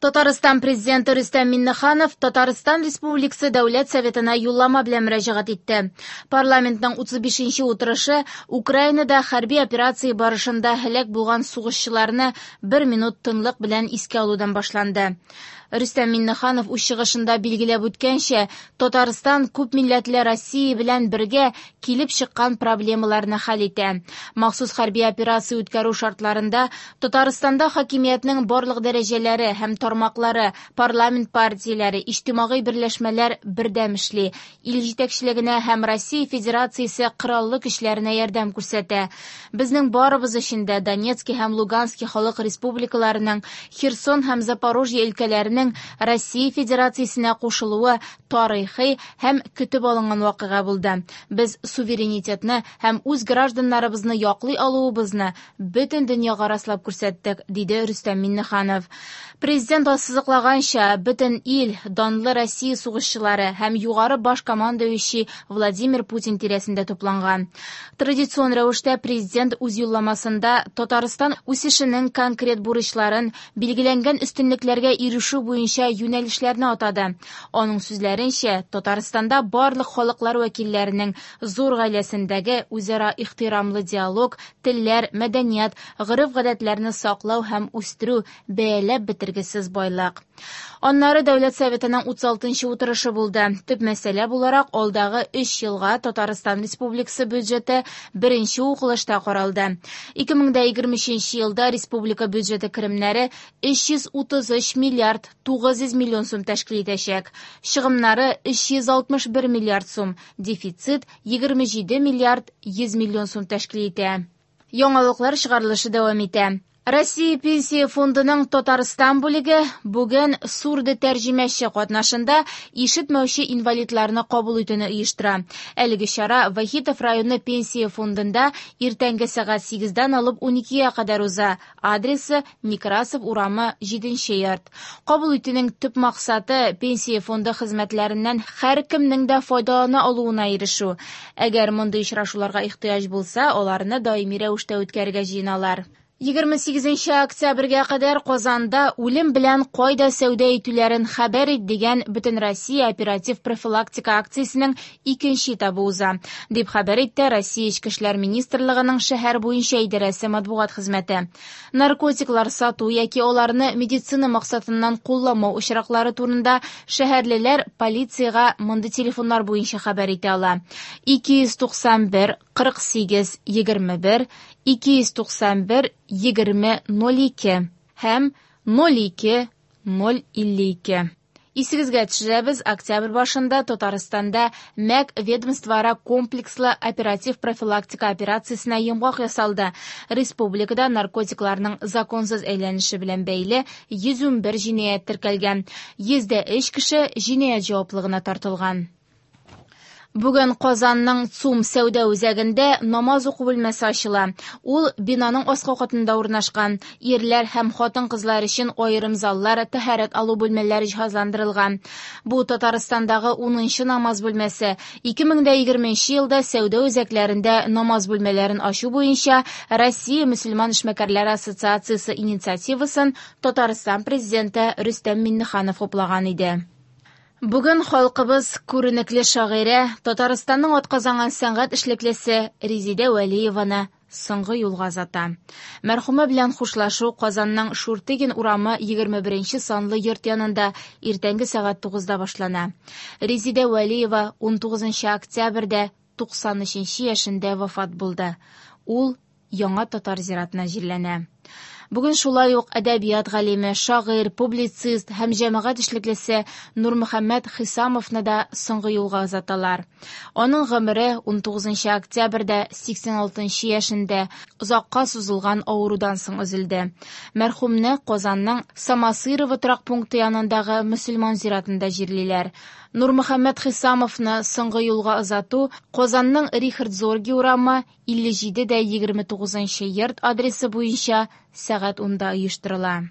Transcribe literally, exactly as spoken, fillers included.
Татарстан Президенты Рөстәм Миңнеханов Татарстан Республикасы Дәүләт Советына юллама белән мөрәҗәгать итте. Парламентның утыз бишенче утырышы Украинада хәрби операция барышында һәлак булган сугышчыларны бер минут тынлык белән искә алудан башланды. Рөстәм Миңнеханов үз чыгышында билгеләп үткәнчә, Татарстан күп милләтле Россия белән бергә килеп чыккан проблемаларны хәл итә. Махсус хәрби операция үткәрү шартларында Татарстанда хакимиятнең барлык дәрәҗәләре һәм тармаклары, парламент партияләре, иҗтимагый берләшмәләр бердәм эшли, ил җитәкчелегенә һәм Россия Федерациясе кораллы көчләренә ярдәм күрсәтә. Безнең барыбыз өчен дә Донецкий һәм Луганский халык республикаларының, Херсон һәм Запорожье өлкәләренең Россия Федерациясенә кушылуы тарихи һәм көтеп алынган вакыйга булды. Без суверенитетны һәм үз гражданнарыбызны яклый алуыбызны бөтен дөньяга раслап күрсәттек, диде Рөстәм Миңнеханов. Президент ассызыклаганча, бөтен ил данлы Россия сугышчылары һәм югары баш командующий Владимир Путин тирәсендә тупланган. Традицион рәвештә президент үз юлламасында Татарстан үсешенең конкрет бурычларын, билгеләнгән өстенлекләргә ирешү буенча юнәлешләрне атады. Аның сүзләренчә, Татарстанда барлык халыклар вәкилләренең зур гаиләсендәге үзара ихтирамлы диалог, телләр, мәдәният, гореф-гадәтләрне саклау һәм үстерү бәяләп бетергесез байлык. Аннары Дәүләт Советының утыз алтынчы утырышы булды. Төп мәсьәлә буларак алдагы өч елга Татарстан Республикасы бюджеты беренче укылышта каралды. ике мең дә егерме өченче елда республика бюджеты керемнәре өч йөз утыз өч миллиард тугыз йөз миллион сум тәшкил итәчәк. Чыгымнары өч йөз алтмыш бер миллиард сум, дефицит егерме җиде миллиард йөз миллион сум тәшкил итә. Яңалыклар чыгарылышы дәвам итә. Россия Пенсия фондының Татарстан бүлеге бүген сурды тәрҗемәче катнашында ишетмәүче инвалидларны кабул итүне оештыра. Әлеге чара Вахитов районы Пенсия фондында иртәнге сәгать сигездән алып уникегә кадәр уза. Адресы Некрасов урамы җиденче йорт. Кабул итүнең төп максаты Пенсия фонды хезмәтләреннән һәркемнең дә файдалана алуына ирешү. Әгәр мондый очрашуларга ихтыяҗ булса, аларны даими рәвештә үткәрергә җыеналар. Егерме сигезенче октябрьгә кадәр Казанда үлем белән кайда сәүдә итүләрен хәбәр ит дигән Бөтенроссия оператив профилактика акциясенең икенче этабы уза, дип хәбәр итте Россия Эчке эшләр министрлыгының шәһәр буенча идарәсе матбугат хезмәте. Наркотиклар сату яки аларны медицина максатыннан кулланмау очраклары турында шәһәрлеләр полициягә мондый телефоннар буенча хәбәр итә ала. ике йөз туксан бер кырык сигез егерме бер, ике йөз туксан бер егерме ноль ике һәм ноль ике ноль илле ике. Исегезгә төшерәбез, октябрь башында Татарстанда МӘК ведомствоара комплекслы оператив профилактика операциясенә йомгак ясалды. Республикада наркотикларның законсыз әйләнеше белән бәйле йөз унбер җинаять теркәлгән. Йөз дә өч кеше җинаять җаваплылыгына тартылган. Бүген Казанның ЦУМ сәүдә үзәгендә намаз уку бүлмәсе ачыла. Ул бинаның аскы катында урнашкан. Ирләр һәм хатын-кызлар өчен аерым заллар, тәһарәт алу бүлмәләре җиһазландырылган. Бу Татарстандагы унынчы намаз бүлмәсе. Ике мең дә егерменче елда сәүдә үзәкләрендә намаз бүлмәләрен ачу буенча Россия мөселман эшмәкәрләре ассоциациясе инициативасын Татарстан президенты Рөстәм Миңнеханов хуплаган иде. Бүген халкыбыз күренекле шагыйрә, Татарстанның атказанган сәнгать эшлеклесе Резидә Вәлиеваны соңгы юлга озата. Мәрхүмә белән хушлашу Казанның Шуртыгин урамы егерме беренче санлы йорт янында иртәнге сәгать тугызда башлана. Резидә Вәлиева унтугызынчы октябрьдә туксан өченче яшендә вафат булды. Ул Яңа татар зиратына җирләнә. Бүген шулай ук әдәбият галиме, шагыйрь, публицист һәм җәмәгать эшлеклесе Нурмөхәммәт Хисамовны да соңгы юлга озаталар. Аның гомере унтугызынчы октябрьдә сиксән алтынчы яшендә озакка сузылган авырудан соң өзелде. Мәрхүмне Казанның Самосырово торак пункты янындагы мөселман зиратында җирлиләр. Нурмөхәммәт Хисамовны соңгы юлга озату Казанның Рихард Зорги урамы илле җиде дә егерме тугызынчы йорт адресы буенча сәгать унда оештырыла.